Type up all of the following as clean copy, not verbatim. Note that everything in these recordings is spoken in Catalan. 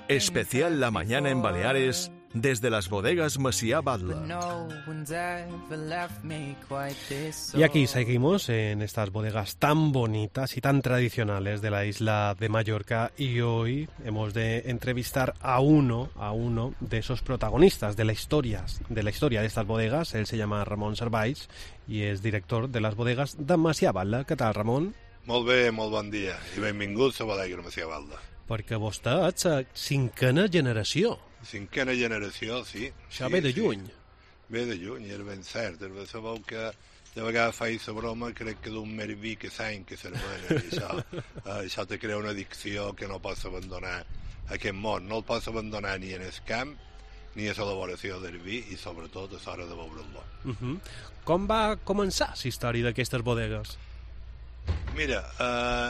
Especial La Mañana en Baleares desde las bodegas Macià Batlle. Y aquí seguimos en estas bodegas tan bonitas y tan tradicionales de la isla de Mallorca, y hoy hemos de entrevistar a uno de esos protagonistas de la historia de estas bodegas. Él se llama Ramon Servais y es director de las bodegas de Macià Batlle. ¿Qué tal, Ramon? Molt bé, molt bon dia i benvinguts a Bodega Macià Batlle. Perquè vostè ets la cinquena generació. Cinquena generació, sí. Això ve de lluny. Ve de lluny, era ben cert. Sabeu que de vegades faig la broma, crec que d'un mer vi que s'any que s'hermana. Això te crea una addicció que no pots abandonar aquest món. No el pots abandonar ni en el camp, ni a l'elaboració del vi, i sobretot a l'hora de beure'l. Com va començar la història d'aquestes bodegues? Mira,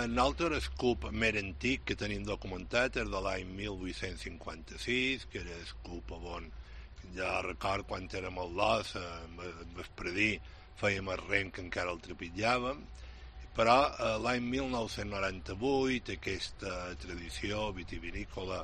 nosaltres el CUP més antic que tenim documentat és de l'any 1856, que era el CUP on ja record quan érem al Los, Vespredí, fèiem el rem que encara el trepitjàvem, però l'any 1998 aquesta tradició vitivinícola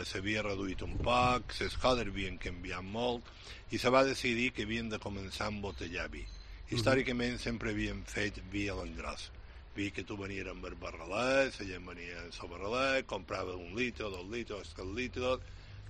s'havia reduït un poc, les coses havien canviat molt i se va decidir que havien de començar a embotellar vi. Històricament sempre havíem fet vi a l'engròs. Vi que tu venies amb el barrelet, la gent venia amb el barrelet, comprava 1 litre, 2 litres, 3 litres,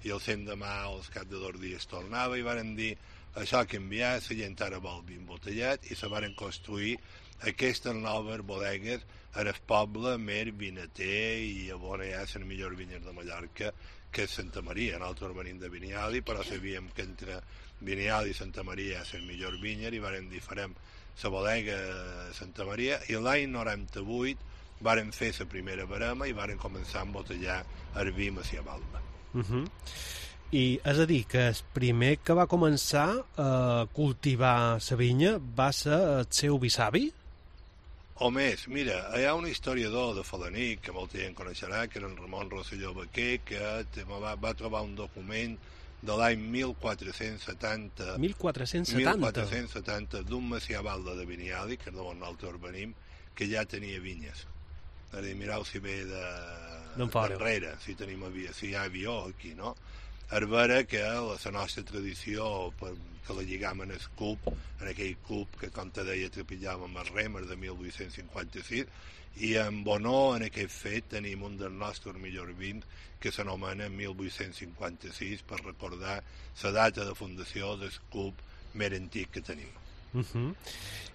i el l'endemà, als cap de 2 dies, tornava, i varen dir, això ha canviat, la gent ara vol vi embotellat, i se varen construir aquestes noves bodegues en el poble més vinater i on hi ha les millors vinyes de Mallorca, que és Santa Maria. Nosaltres venim de Vinyali, però sabíem que entre Vinyali i Santa Maria és el millor vinyer, i varen dir, farem la bodega Santa Maria, i l'any 98 varen fer la primera barema i varen començar a embotellar el vi Macià Batlle. I és a dir, que el primer que va començar a cultivar la vinya va ser el seu bisavi? O més, mira, hi ha un historiador de Falanic, que molta gent coneixerà, que era en Ramon Rosselló Baquer, que va trobar un document de l'any 1470 d'un Macià Batlle de Vinyali, que és d'on nosaltres venim, que ja tenia vinyes. És a dir, mireu si ve darrere, si hi ha avió aquí, no? És vera que la nostra tradició, que la lligam en el CUP, en aquell CUP que, com te deia, trepitjàvem els remes de 1856, i en honor en aquest fet tenim un dels nostres millors vins que s'anomena 1856 per recordar la data de fundació del CUP més antic que tenim.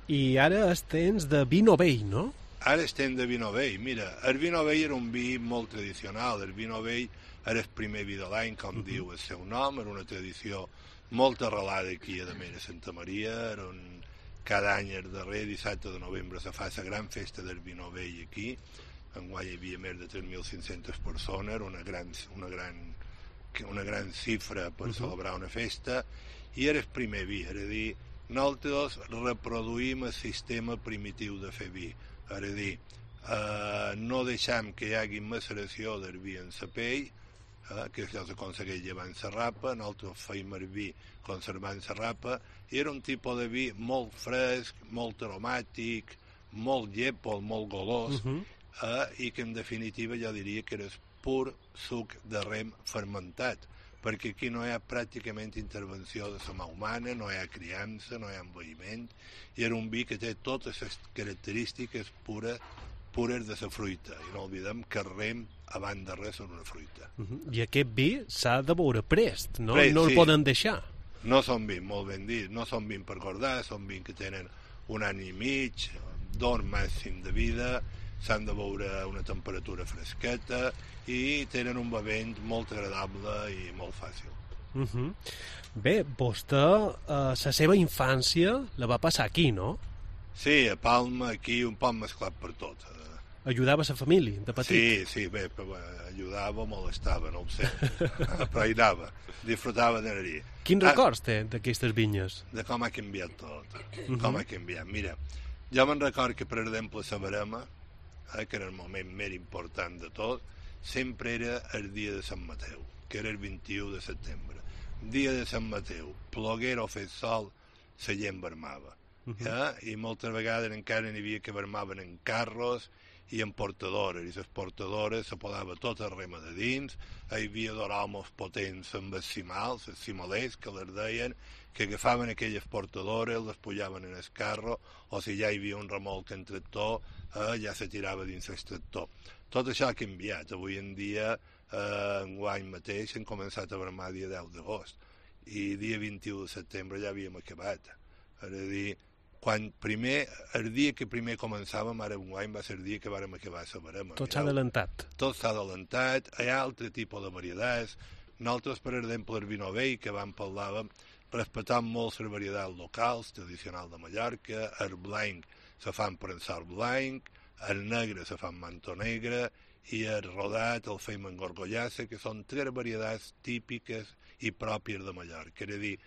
I ara és temps de vi novell, no? Ara estem de vi novell. Mira, el vi novell era un vi molt tradicional. El vi novell era el primer vi de l'any, com diu el seu nom, era una tradició molt arrelada aquí a Mera Santa Maria. Cada any, el darrer dissabte de novembre, se fa la gran festa del vi novell aquí. Enguany hi havia més de 3.500 persones, una gran xifra per celebrar una festa, i era el primer vi, és a dir, nosaltres reproduïm el sistema primitiu de fer vi, és a dir, no deixem que hi hagi maceració del vi en la pell, que això s'aconsegueix llevant la rapa, nosaltres feim el vi conservant la rapa, i era un tipus de vi molt fresc, molt aromàtic, molt llépol, molt golós, i que en definitiva jo diria que era pur suc de rem fermentat, perquè aquí no hi ha pràcticament intervenció de la mà humana, no hi ha criança, no hi ha envelliment, i era un vi que té totes les característiques pures de la fruita, i no oblidem que el rem, abans de res, és una fruita. I aquest vi s'ha de beure prest, no? No el Sí. poden deixar. No són vins, molt ben dit, no són vins per guardar, són vins que tenen 1 any i mig, 2 màxim de vida, s'han de beure a una temperatura fresqueta i tenen un bevent molt agradable i molt fàcil. Bé, vostè la seva infància la va passar aquí, no? Sí, a Palma, aquí, un poc mesclat per tot. Ajudava la família, de petit? Sí, bé, ajudava, molestava, no ho sé, però hi anava, disfrutava d'anar-hi. Quins records té d'aquestes vinyes? De com ha canviat tot, com ha canviat. Mira, jo me'n record que, per exemple, la barema, que era el moment més important de tot, sempre era el dia de Sant Mateu, que era el 21 de setembre. Dia de Sant Mateu, ploguera o fet sol, la gent vermava. I moltes vegades encara n'hi havia que vermaven en carros i en portadores, i les portadores se posava tota rema de dins, hi havia d'aromos potents amb els cimals, els cimalers, que les deien, que agafaven aquelles portadores, les pujaven en el carro, o si ja hi havia un remolc en tractor, ja se tirava dins el tractor. Tot això ha canviat. Avui en dia, enguany mateix, hem començat a vermar dia 10 d'agost, i dia 21 de setembre ja havíem acabat. És a dir, el dia que primer començàvem, ara enguany, va ser el dia que vàrem acabar la verema. Tot s'ha adelantat. Tot s'ha adelantat, hi ha altre tipus de varietats. Nosaltres, per exemple, el vi novell, que vam parlar, respectant molt les varietats locals, tradicionals de Mallorca, el blanc se fan prensar blanc, el negre se fan manto negre, i el rodat el fem en gorgollassa, que són 3 varietats típiques i pròpies de Mallorca. És a dir,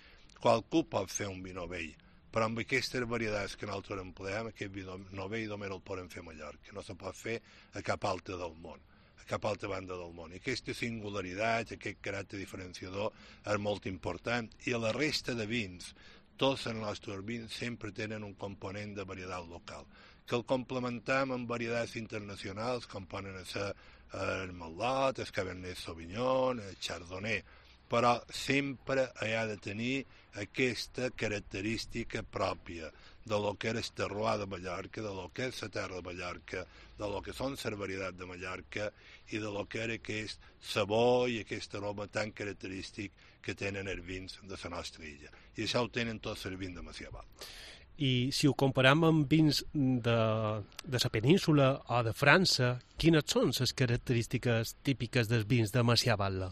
qualcú pot fer un vi novell, però amb aquestes varietats que nosaltres empleem, aquest vi novell només el podem fer a Mallorca, no se pot fer a cap altra del món, a cap altra banda del món. I aquesta singularitat, aquest caràcter diferenciador és molt important, i a la resta de vins, tots els nostres vins sempre tenen un component de varietat local, que el complementam amb varietats internacionals, com poden ser el Merlot, el Cabernet Sauvignon, el Chardonnay, però sempre ha de tenir aquesta característica pròpia de lo que és el terroir de Mallorca, de lo que és la terra de Mallorca, de lo que són les varietats de Mallorca i de lo que era aquest sabor i aquest aroma tan característic que tenen els vins de la nostra illa. I això ho tenen tots els vins de Macià Val. I si ho comparem amb vins de la península o de França, quines són les característiques típiques dels vins de Macià Val?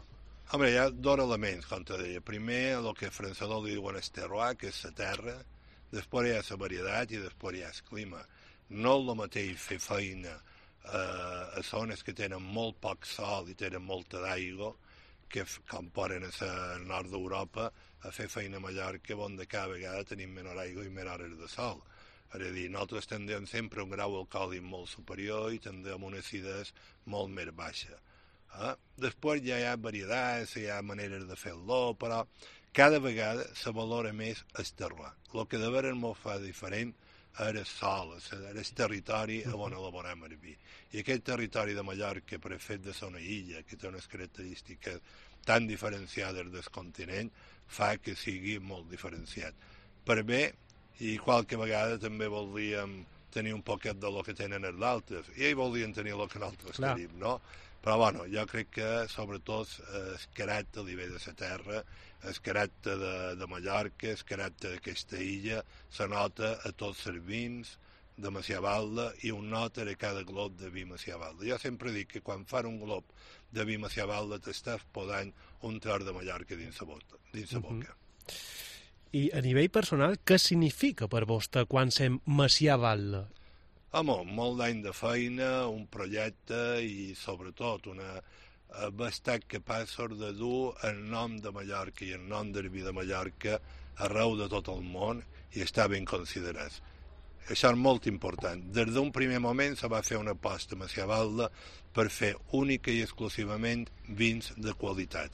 Home, hi ha 2 elements, com te deia. Primer, el que els francesos li diuen el terroir, que és la terra, després hi ha la varietat i després hi ha el clima. No és el mateix fer feina a zones que tenen molt poc sol i tenen molta d'aigua, que com poden al nord d'Europa, a fer feina a Mallorca, on de cada vegada tenim menor aigua i menor hores de sol. És a dir, nosaltres tendem sempre un grau alcohòlic molt superior i tendem una acidesa molt més baixa. Després ja hi ha varietats, hi ha maneres de fer-lo, però cada vegada se valora més el terroir. El que de veres molt fa diferent és el sol, és el territori on elaborem el vi. I aquest territori de Mallorca, per el fet de ser una illa, que té unes característiques tan diferenciades del continent, fa que sigui molt diferenciat. Per bé, i qualque vegada també voldríem tenir un poquet de lo que tenen els altres, i ells voldrien tenir el que nosaltres tenim, no? Però, bueno, jo crec que, sobretot, el caràcter a nivell de la terra, el caràcter de Mallorca, el caràcter d'aquesta illa, se nota a tots els vins de Macià Val i un nota a cada glob de vi Macià Val. Jo sempre dic que quan fan un glob de vi Macià Val t'estàs posant un tros de Mallorca dins la boca. I a nivell personal, què significa per vostè quan sem Macià Val? Home, molt d'any de feina, un projecte i, sobretot, haver estat capaços de dur el nom de Mallorca i el nom del vi de Mallorca arreu de tot el món i estar ben considerats. Això és molt important. Des d'un primer moment se va fer una aposta a Macià Val per fer única i exclusivament vins de qualitat.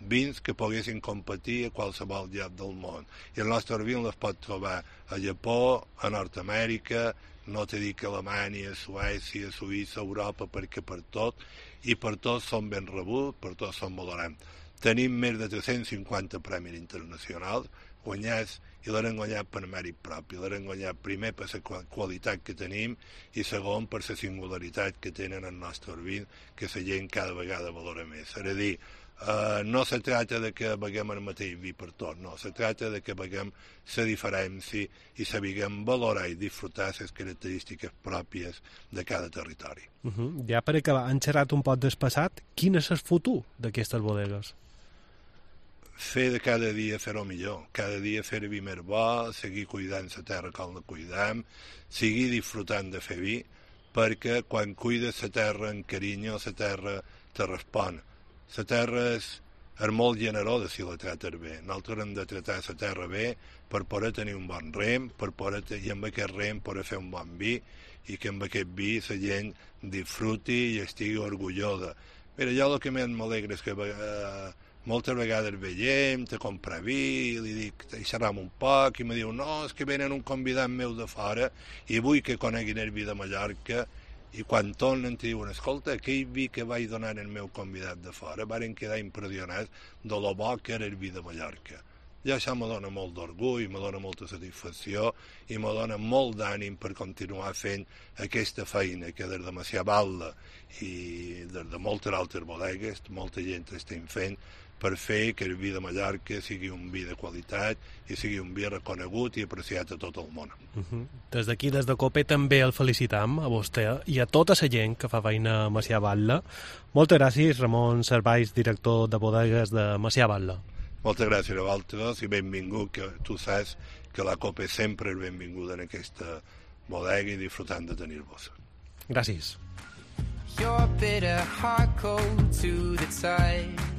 Vins que poguessin competir a qualsevol lloc del món. I el nostre vi les pot trobar a Japó, a Nord-Amèrica, no t'he dit que Alemanya, Suècia, Suïssa, Europa, perquè per tot, i per tot són ben rebuts, per tot són valorats. Tenim més de 350 premis internacionals guanyats, i l'hem guanyat per mèrit propi. L'hem guanyat primer per la qualitat que tenim i segon per la singularitat que tenen el nostre vi, que la gent cada vegada valora més. És a dir, no se tracta de que beguem el mateix vi per tot, no, se tracta de que beguem la diferència i sabiguem valorar i disfrutar les característiques pròpies de cada territori. Ja per acabar, han xerrat un poc del passat, quin és el futur d'aquestes bodegues? Fer de cada dia fer-ho millor, cada dia fer vi més bo, seguir cuidant la terra com la cuidam, seguir disfrutant de fer vi, perquè quan cuides la terra amb carinyo, la terra te respon. La terra és molt generosa si la trates bé. Nosaltres hem de tratar la terra bé per poder tenir un bon rem, i amb aquest rem poder fer un bon vi, i que amb aquest vi la gent disfruti i estigui orgullosa. Mira, jo el que més m'alegra és que moltes vegades veiem, te compra vi, li dic, hi xerram un poc, i me diu, no, és que venen un convidat meu de fora, i vull que coneguin el vi de Mallorca, i quan tornen te diuen, escolta, aquell vi que vaig donar al meu convidat de fora, varen quedar impressionats de lo bo que era el vi de Mallorca. I això me dona molt d'orgull, me dona molta satisfacció i me dona molt d'ànim per continuar fent aquesta feina que des de Macià Batlle i des de moltes altres bodegues, molta gent estem fent per fer que el vi de Mallorca sigui un vi de qualitat i sigui un vi reconegut i apreciat a tot el món. Des d'aquí, des de Cope, també el felicitam a vostè i a tota la gent que fa feina a Macià Batlle. Moltes gràcies, Ramon Servais, director de bodegues de Macià Batlle. Moltes gràcies a vosaltres i benvingut, que tu saps que la Cope sempre és benvinguda en aquesta bodega i disfrutant de tenir-vos. Gràcies. Your bitter heart cold to the touch.